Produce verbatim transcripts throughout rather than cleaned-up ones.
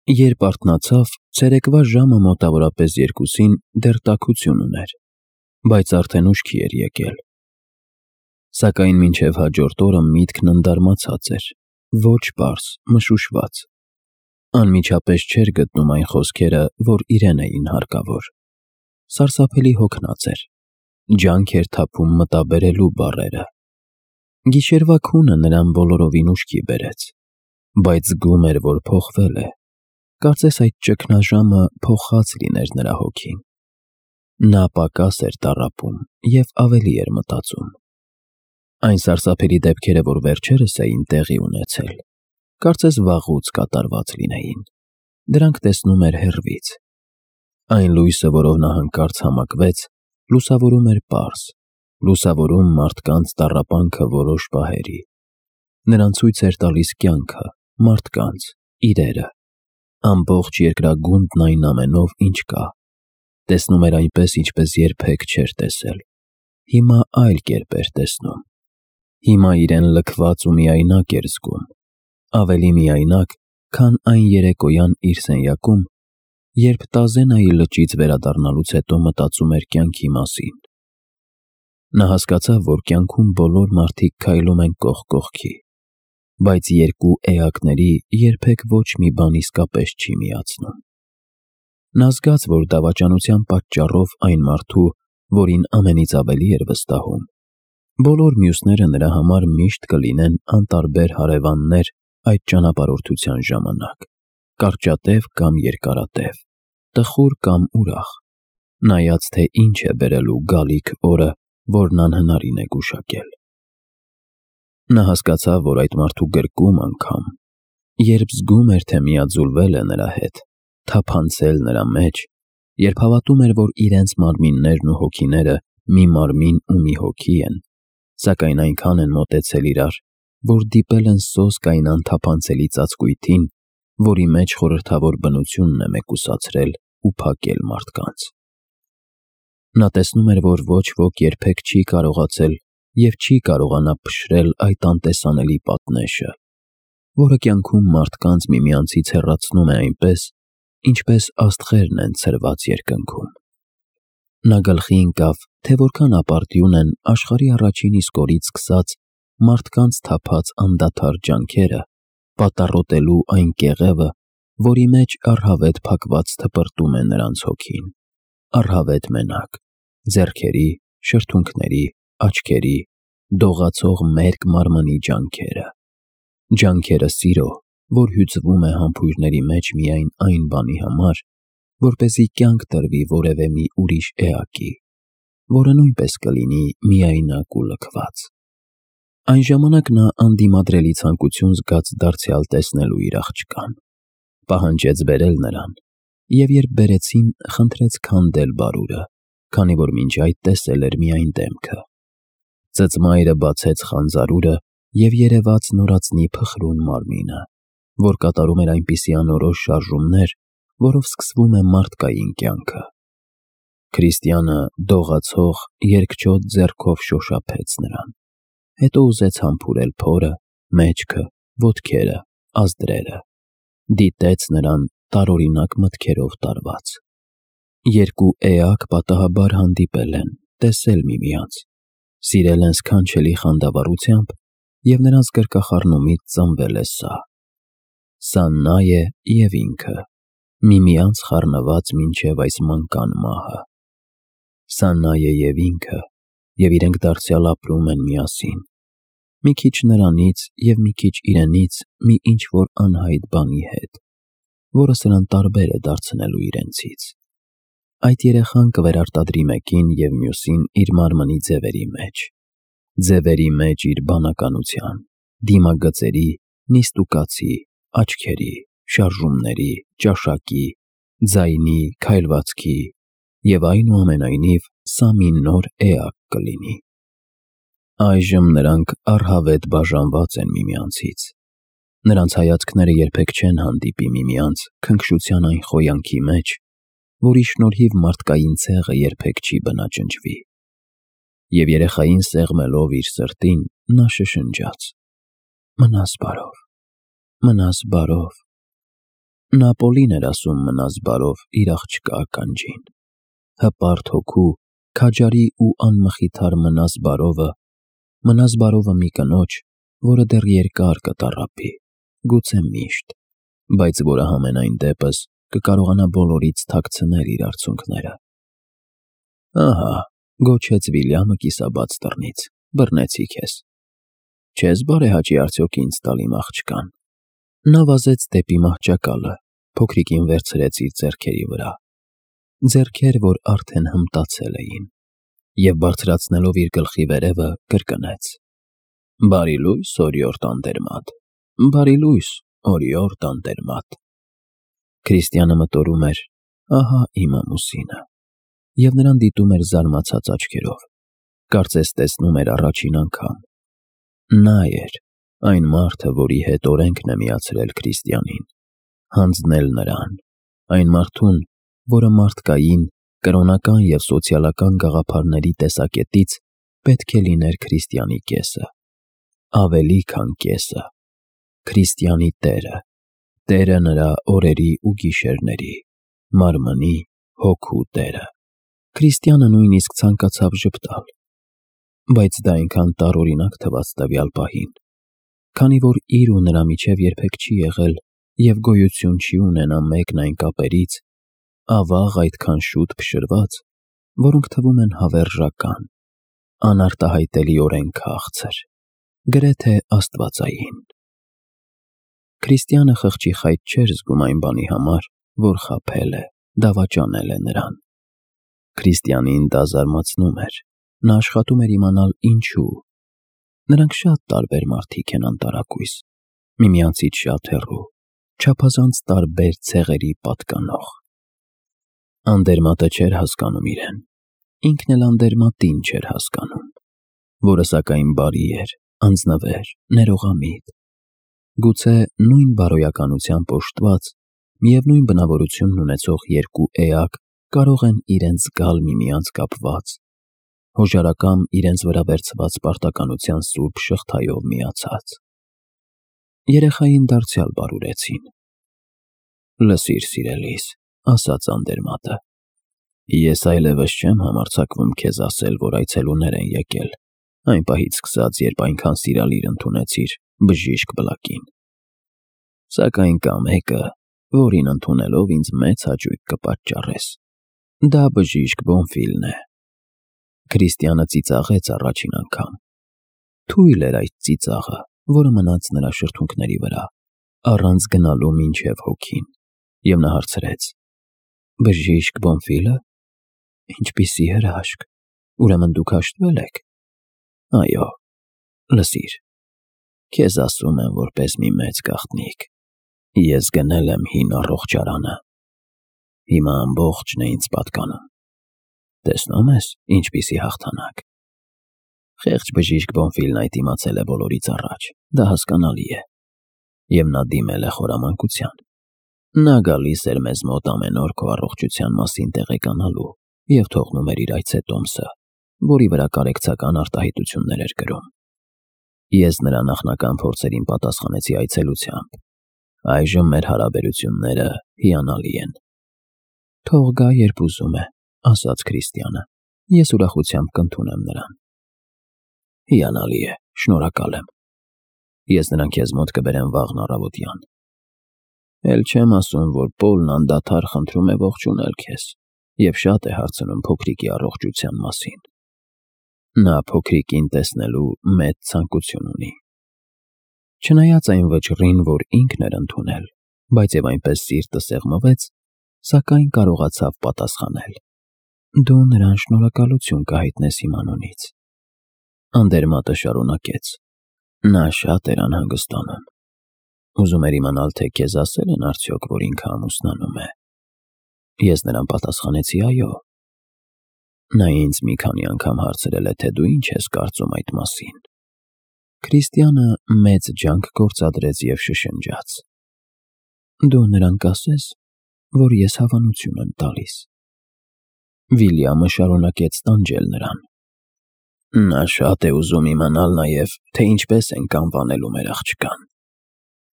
Երբ արթնացավ, ցերեկվա ժամը մոտավորապես երկուսին դեռ տաքություն ուներ, բայց արդեն ուշքի էր եկել։ Սակայն մինչև հաջորդ օրը միտքն ընդարմացած էր, ոչ պարզ, մշուշված։ Անմիջապես չէր գտնում այն խոսքերը, որ իրեն էին հարկավոր։ Սարսափելի հոգնած էր, ջանք էր թափում մտաբերելու բառերը։ Գիշերվա քունը նրան բոլորովին ուշքի բերեց, բայց զգում էր, որ փոխվել է։ Կարծես այդ ճգնաժամը փոխած լիներ նրա հոգին։ Նա պակաս էր տառապում և ավելի էր մտածում։ Այն սարսափելի դեպքերը, որ վերջերս էին տեղի ունեցել, կարծես վաղուց կատարված լինեին։ Դրանք տեսնում էր հեռվից։ Այն լույսը, որով նա հանկարծ համակվեց, լուսավորում էր պարզ, լուսավորում մարդկանց տառապանքը որոշ պահերի։ Նրան ցույց էր տալիս կյանքը, մարդկանց, իրերը, ամբողջ երկրագունդն այն ամենով, ինչ կա։ Տեսնում էր այնպես, ինչպես երբեք չէր տեսել։ Հիմա այլ կերպ էր տեսնում։ Հիմա իրեն լքված ու միայնակ էր զգում, ավելի միայնակ, քան այն երեկոյան իր սենյակում, երբ Տազենայի լճից վերադառնալուց հետո մտածում էր կյանքի մասին։ Նա հասկացավ, որ կյանքում բոլոր մարդիկ քայլում են կողք կողքի, բայց երկու էակների երբեք ոչ մի բան իսկապես չի միացնում։ Նա զգաց, որ դավաճանության պատճառով այն մարդու, որին ամենից ավելի էր վստահում, բոլոր մյուսները նրա համար միշտ կլինեն անտարբեր հարևաններ այդ ճանապարհորդության ժամանակ, կարճատև կամ երկարատև, տխուր կամ ուրախ, նայած թե ինչ է բերելու գալիք օրը, որն անհնարին է գուշակել։ Նա հասկացավ, որ այդ մարդու գրկում անգամ, երբ զգում էր, թե միաձուլվել է նրա հետ, թափանցել նրա մեջ, երբ հավատում էր, որ իրենց մարմիններն ու հոգիները մի մարմին ու մի հոգի են, սակայն այնքան են մոտեցել իրար, որ դիպել են սոսկ այն անթափանցելի ծածկույթին, որի մեջ խորհրդավոր բնությունն է մեկուսացրել ու փակել մարդկանց։ Նա տեսնում էր, որ ոչ ոք երբեք չի կարողացել և չի կարողանա փշրել այդ անտեսանելի պատնեշը, որը կյանքում մարդկանց միմյանցից հեռացնում է այնպես, ինչպես աստղերն են ցրված երկնքում։ Նա գլխի ընկավ, թե որքան ապարդյուն են աշխարհի առաջին իսկ օրից սկսած մարդկանց թափած անդադար ջանքերը պատառոտելու այն կեղևը, որի մեջ առհավետ փակված թպրտում է նրանց հոգին, առհավետ մենակ, ձեռքերի, շրթունքների, աչքերի, դողացող մերկ մարմնի ջանքերը, ջանքերը սիրո, որ հյուծվում է համբույրների մեջ միայն այն բանի համար, որպեսզի կյանք տրվի որևէ մի ուրիշ էակի, որը նույնպես կլինի միայնակ ու լքված։ Այն ժամանակ նա անդիմադրելի ցանկություն զգաց դարձյալ տեսնելու իր աղջկան, պահանջեց բերել նրան, և երբ բերեցին, խնդրեց քանդել բարուրը, քանի որ մինչ այդ տեսել էր միայն դեմքը։ Ծծմայրը բացեց խանձարուրը և երևաց նորածնի փխրուն մարմինը, որ կատարում էր այնպիսի անորոշ շարժումներ, որով սկսվում է մարդկային կյանքը։ Քրիստիանը դողացող, երկչոտ ձեռքով շոշափեց նրան, հետո ուզեց համբուրել փորը, մեջքը, ոտքերը, ազդրերը, դիտեց նրան տարօրինակ մտքերով տարված։ Երկու էակ պատահաբար հանդիպել են, տեսել միմյանց, սիրել են սքանչելի խանդավառությամբ և նրանց գրկախառնումից ծնվել է սա։ Սա նա է և ինքը, միմյանց խառնված մինչև այս մանկան մահը։ Սա նա է և ինքը, և իրենք դարձյալ ապրում են միասին, մի քիչ նրանից և մի քիչ իրենից մի ինչ-որ անհայտ բանի հետ, որը սրան տարբեր է դարձնելու իրենցից։ Այդ երեխան կվերարտադրի մեկին և մյուսին իր մարմնի ձևերի մեջ, ձևերի մեջ իր բանականության, դիմագծերի, նիստուկացի, աչքերի, շարժումների, ճաշակի, ձայնի, քայլվածքի, և այնուամենայնիվ սա մի նոր էակ կլինի։ Այժմ նրանք առհավետ բաժանված են միմյանցից։ Նրանց հայացքները երբեք չեն հանդիպի միմյանց քնքշության այն խոյանքի մեջ, որի շնորհիվ մարդկային ցեղը երբեք չի բնաջնջվի։ Եվ երեխային սեղմելով իր սրտին, նա շշնջաց. «Մնաս բարով, մնաս բարով»։ Նա Պոլին էր ասում մնաս բարով իր աղջկա ականջին։ Հպարտ հոգու, քաջարի ու անմխիթար մնաս բարովը, մնաս բարովը մի կնոջ, որը դեռ երկար կտառապի, գուցե միշտ, բայց որը համենայն դեպս կկարողանա բոլորից թաքցնել իր արցունքները։ Ահա, գոչեց Վիլյամը կիսաբաց դռնից, բռնեցի քեզ։ Չես բարեհաճի արդյոք ինձ տալ իմ աղջկան։ Նա վազեց դեպի մահճակալը, փոքրիկին վերցրեց իր ձեռքերի վրա, ձեռքեր, որ արդեն հմտացել էին, և բարձրացնելով իր գլխի վերևը, կրկնեց. Բարի լույս, օրիորդ անտերմատ, բարի լույս, օրիորդ անտերմատ։ Քրիստիանը մտորում էր. ահա իմ ամուսինը, և նրան դիտում էր զարմացած աչքերով, կարծես տեսնում էր առաջին անգամ։ Նա էր, այն մարդը, որի հետ օրենքն է միացրել Քրիստիանին, հանձնել նրան, այն մարդուն, որը մարդկային, կրոնական և սոցիալական գաղափարների տեսակետից պետք է լիներ Քրիստիանի կեսը, ավելի քան կեսը, Քրիստիանի տերը, տերը նրա օրերի ու գիշերների, մարմնի, հոգու տերը։ Քրիստիանը նույնիսկ ցանկացավ ժպտալ, բայց դա այնքան տարօրինակ թվաց տվյալ պահին, քանի որ իր ու նրա միջև երբեք չի եղել և գոյություն չի ունենա մեկն այն կապերից, ավաղ այդքան շուտ փշրված, որոնք թվում են հավերժական, անարտահայտելիորեն քաղցր, գրեթե աստվածային։ Քրիստիանը խղճի խայտ չէր զգում այն բանի համար, որ խաբել է, դավաճանել է նրան։ Քրիստիանին դա զարմացնում էր, նա աշխատում էր իմանալ ինչու։ Նրանք շատ տարբեր մարդիկ են անտարակույս, միմյանցից շատ հեռու, չափազանց տարբեր ցեղերի պատկանող։ Անդերմատը չէր հասկանում իրեն, ինքն էլ անդերմատին չէր հասկանում, որը սակայն բարի էր, անձնվեր, ներողամիտ։ Գուցե նույն բարոյականությամբ օժտված, միևնույն բնավորությունն ունեցող երկու էակ կարող են իրենց զգալ միմյանց կապված, հոժարակամ իրենց վրա վերցված պարտականության սուրբ շղթայով միացած։ Երեխային դարձյալ բարուրեցին։ Լսիր, սիրելիս, ասաց անդերմատը, ես այլևս չեմ համարձակվում քեզ ասել, որ այցելուներ են եկել, այն պահից սկսած, երբ այնքան սիրալիր ընդունեցիր բժիշկ Բլակին։ Սակայն կա մեկը, որին ընդունելով ինձ մեծ հաճույք կպատճառես։ Դա բժիշկ Բոնֆիլն է։ Քրիստիանը ծիծաղեց առաջին անգամ։ Թույլ էր այդ ծիծաղը, որը մնաց նրա շրթունքների վրա, առանց գնալու մինչև հոգին, և նա հարցրեց. Բժիշկ Բոնֆիլը։ Ինչպիսի հրաշք, ուրեմն դուք հաշտվել եք։ Այո, լսիր, քեզ ասում եմ որպես մի մեծ գաղտնիք, ես գնել եմ հին առողջարանը, հիմա ամբողջն է ինձ պատկանում։ Տեսնում ես, ինչպիսի հաղթանակ։ Խեղճ բժիշկ Բոնֆիլն այդ իմացել է բոլորից առաջ, դա հասկանալի է, և նա դիմել է խորամանկության։ Նա գալիս էր մեզ մոտ ամեն օր քո առողջության մասին տեղեկանալու և թողնում էր իր այցետոմսը, որի վրա կարեկցական արտահայտություններ էր գրում։ Ես նրա նախնական փորձերին պատասխանեցի այցելությամբ։ Այժմ մեր հարաբերությունները հիանալի են։ Թող գա, երբ ուզում է, ասաց Քրիստիանը, ես ուրախությամբ կընդունեմ նրան։ Հիանալի է, շնորհակալ եմ։ Ես նրան քեզ մոտ կբերեմ վաղն առավոտյան։ Էլ չեմ ասում, որ Պոլն անդադար խնդրում է ողջունել քեզ և շատ է հարցնում փոքրիկի առողջության մասին։ Նա փոքրիկին տեսնելու մեծ ցանկություն ունի։ Չնայած այն վճռին, որ ինքն էր ընդունել, բայց և այնպես սիրտը սեղմվեց, սակայն կարողացավ պատասխանել. Դու նրան շնորհակալություն կհայտնես իմ անունից։ Անդերմատը շարունակեց. Նա շատ էր անհանգստանում։ Ուզում էր իմանալ, թե քեզ ասել են արդյոք, որ ինքը ամուսնանում է։ Ես նրան պատասխանեցի այո։ Նա ինձ մի քանի անգամ հարցրել է, թե դու ինչ ես կարծում այդ մասին։ Քրիստիանը մեծ ջանք գործադրեց և շշնջաց. Դու նրան կասես, որ ես հավանություն եմ տալիս։ Վիլյամը շարունակեց տանջել նրան։ Նա շատ է ուզում իմանալ նաև, թե ինչպես ենք անվանելու մեր աղջկան։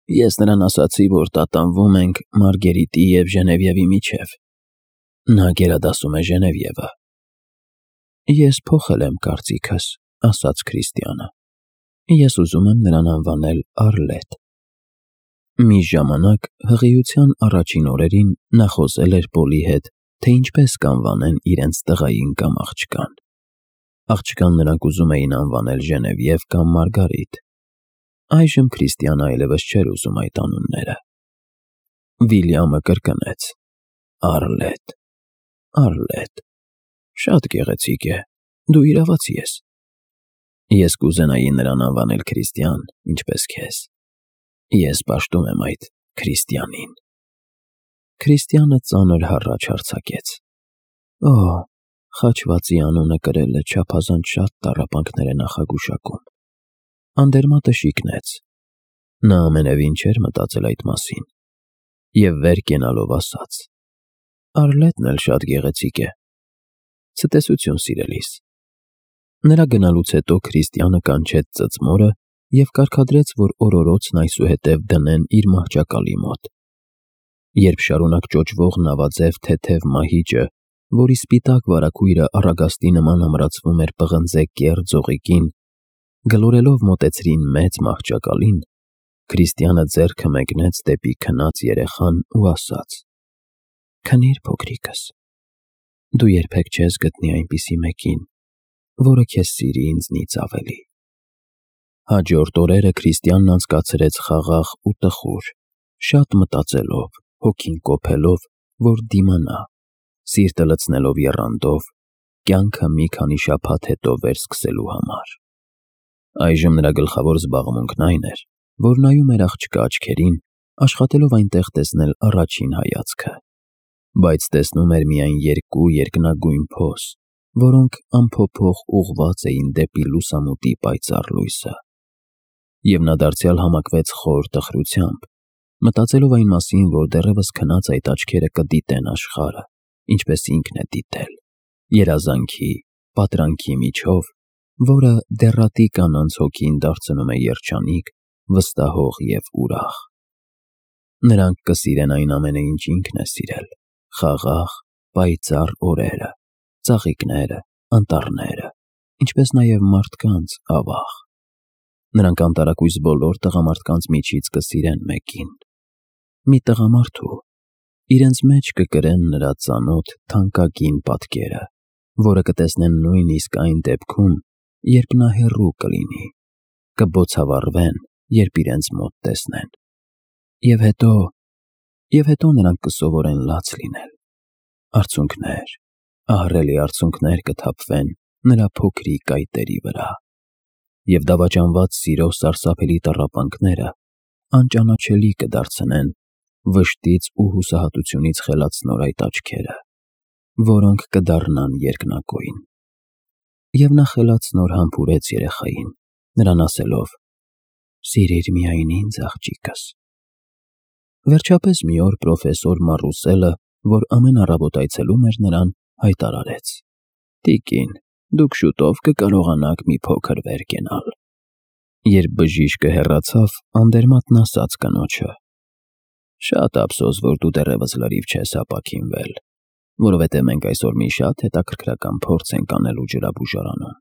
Ես նրան ասացի, որ տատանվում ենք Մարգերիտի և Ժնևիևի միջև։ Նա գերադասում է Ժնևիևը։ Ես փոխել եմ կարծիքս, ասաց Քրիստիանը։ Ես ուզում եմ նրան անվանել Առլետ։ Մի ժամանակ հղիության առաջին օրերին նա խոսել էր Պոլի հետ, թե ինչպես կանվանեն իրենց տղային կամ աղջկան։ Աղջկան նրանք ուզում էին անվանել Ժնևիև կամ Մարգարիտ։ Այժմ Քրիստիանը այլևս չէր ուզում այդ անունները։ Վիլյամը կրկնեց. Առլետ, Առլետ, շատ գեղեցիկ է, դու իրավացի ես։ Ես կուզենայի նրան անվանել Քրիստիան, ինչպես քեզ։ Ես պաշտում եմ այդ Քրիստիանին։ Քրիստիանը ծանր հառաչ արձակեց. Օ, խաչվածի անունը կրելը չափազանց շատ տառապանքներ է նախագուշակում։ Անդերմատը շիկնեց։ Նա ամենևին չէր մտածել այդ մասին և վեր կենալով ասաց. Առլետն էլ շատ գեղեցիկ է։ Ցտեսություն սիրելիս։ Նրա գնալուց հետո Քրիստիանը կանչեց ծծմորը և կարգադրեց, որ օրորոցն այսուհետև դնեն իր մահճակալի մոտ։ Երբ շարունակ ճոճվող նավաձև թեթև մահիճը, որի սպիտակ վարագույրը առագաստի նման ամրացվում էր պղնձե կեռ ձողիկին, գլորելով մոտեցրին մեծ մահճակալին, Քրիստիանը ձեռքը մեկնեց դեպի քնած երեխան ու ասաց. Քնիր, փոքրիկս, դու երբեք չես գտնի այնպիսի մեկին, որը քեզ սիրի ինձնից ավելի։ Հաջորդ օրերը Քրիստիանն անցկացրեց խաղաղ ու տխուր, շատ մտածելով, հոգին կոփելով, որ դիմանա, սիրտը լցնելով եռանդով, կյանքը մի քանի շաբաթ հետո վերսկսելու համար։ Այժմ նրա գլխավոր զբաղմունքն այն էր, որ նայում էր աղջկա աչքերին, աշխատելով այնտեղ տեսնել առաջին հայացքը, բայց տեսնում էր միայն երկու երկնագույն փոս, որոնք անփոփոխ ուղղված էին դեպի լուսամուտի պայծառ լույսը։ Եվ նա դարձյալ համակվեց խոր տխրությամբ, մտածելով այն մասին, որ դեռևս քնած այդ աչքերը կդիտեն աշխարհը, ինչպես ինքն է դիտել, երազանքի, պատրանքի միջով, որը դեռատի կանանց հոգին դարձնում է երջանիկ, վստահող և ուրախ։ Նրանք կսիրեն այն ամենը, ինչ ինքն է սիրել, խաղաղ, պայծառ օրերը, ծաղիկները, անտառները, ինչպես նաև մարդկանց ավաղ։ Նրանք անտարակույս բոլոր տղամարդկանց միջից կսիրեն մեկին։ Մի տղամարդու, իրենց մեջ կկրեն նրա ծանոթ թանկագին պատկերը, որը կտեսնեն նույնիսկ այն դեպքում, երբ նա հեռու կլինի, կբոցավառվեն, երբ իրենց մոտ տեսնեն։ Եվ հետո, և հետո նրանք կսովորեն լաց լինել։ Արցունքներ, ահռելի արցունքներ կթափվեն նրա փոքրիկ այտերի վրա, և դավաճանված սիրո սարսափելի տառապանքները անճանաչելի կդարձնեն վշտից ու հուսահատությունից խելացնոր այդ աչքերը, որոնք կդառնան երկնագույն։ Եվ նա խելացնոր համբուրեց երեխային, նրան ասելով. Սիրիր միայն ինձ, աղջիկս։ Վերջապես մի օր պրոֆեսոր Մարուսելը, որ ամեն առավոտ այցելում էր նրան, հայտարարեց. Տիկին, դուք շուտով կկարողանաք մի փոքր վեր կենալ։ Երբ բժիշկը հեռացավ, Անդերմատն ասաց կնոջը. Շատ ափսոս, որ դու դեռևս լրիվ չես ապաքինվել, որովհետև մենք այսօր մի շատ հետաքրքրական փորձ ենք անելու ջրաբուժարանում։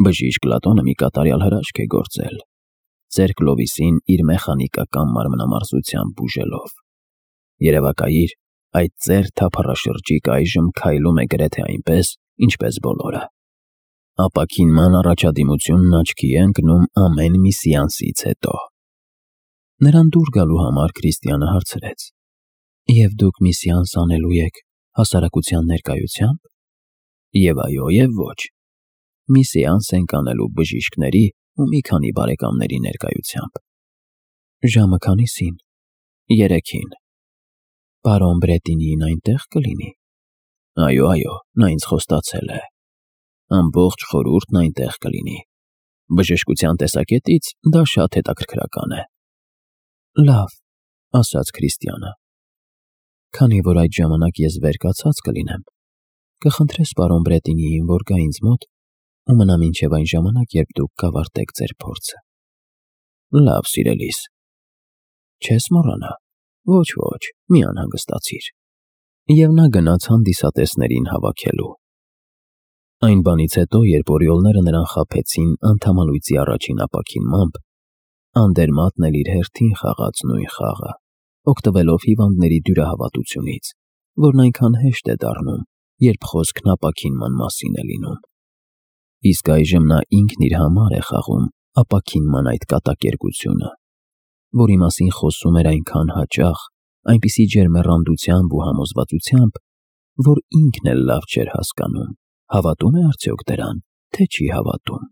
Բժիշկ Լատոնը մի կատարյալ հրաշք է գործել, ձեր Կլովիսին իր մեխանիկական մարմնամարզությամբ բուժելով։ Երևակայիր, այդ ձեր թափառաշրջիկ այժմ քայլում է գրեթե այնպես, ինչպես բոլորը։ Ապաքինման առաջադիմությունն աչքի է ընկնում ամեն մի սեանսից հետո։ Նրան դուր գալու համար Քրիստիանը հարցրեց. Եվ դուք մի սեանս անելու եք հասարակության ներկայությամբ։ Եվ այո, և ոչ։ Մի սեանս ենք անելու բժիշկների ու մի քանի բարեկամների ներկայությամբ։ Ժամը քանիսին։ Երեքին։ Պարոն Բրետինին այնտեղ կլինի։ Այո, այո, նա ինձ խոստացել է։ Ամբողջ խորհուրդն այնտեղ կլինի։ Բժշկության տեսակետից դա շատ հետաքրքրական է։ Լավ, ասաց Քրիստիանը։ Քանի որ այդ ժամանակ ես վեր կացած կլինեմ, կխնդրես պարոն Բրետինիին, որ գա ինձ մոտ ու մնա մինչև այն ժամանակ, երբ դուք կավարտեք ձեր փորձը։ Լավ, սիրելիս։ Չես մոռանա։ Ոչ, ոչ, մի անհանգստացիր։ Եվ նա գնաց հանդիսատեսներին հավաքելու։ Այն բանից հետո, երբ օրիոլները նրան խաբեցին անդամալույծի առաջին ապաքինմամբ, Անդերմատն էլ իր հերթին խաղաց նույն խաղը, օգտվելով հիվանդների դյուրահավատությունից, որն այնքան հեշտ է դառնում, երբ խոսքն ապաքինման մասին է լինում։ Իսկ այժմ նա ինքն իր համար է խաղում ապաքինման այդ կատակերգությունը, որի մասին խոսում էր այնքան հաճախ, այնպիսի ջերմեռանդությամբ ու համոզվածությամբ, որ ինքն էլ լավ չէր հասկանում՝ հավատո՞ւմ է արդյոք դրան, թե չի հավատում։